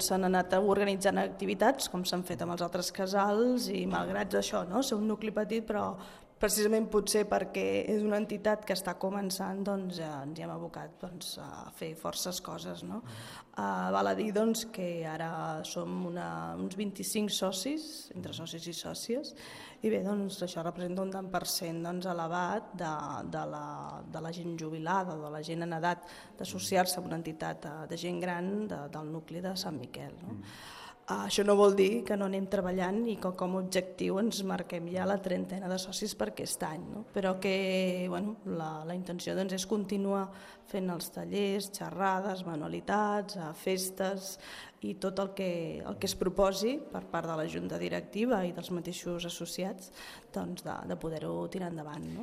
s'han anat organitzant activitats, com s'han fet amb els altres casals, i malgrat això, ser un nucli petit, però precisament potser perquè és una entitat que està començant, doncs ens hi hem abocat a fer forces coses. Val a dir que ara som uns 25 socis, entre socis i sòcies, i bé, això representa un tant per cent elevat de la gent jubilada, de la gent en edat d'associar-se a una entitat de gent gran del nucli de Sant Miquel. Això no vol dir que no anem treballant i que com a objectiu ens marquem ja la 30ena de socis per aquest any, però que la intenció és continuar fent els tallers, xerrades, manualitats, festes i tot el que es proposi per part de la Junta Directiva i dels mateixos associats de poder-ho tirar endavant.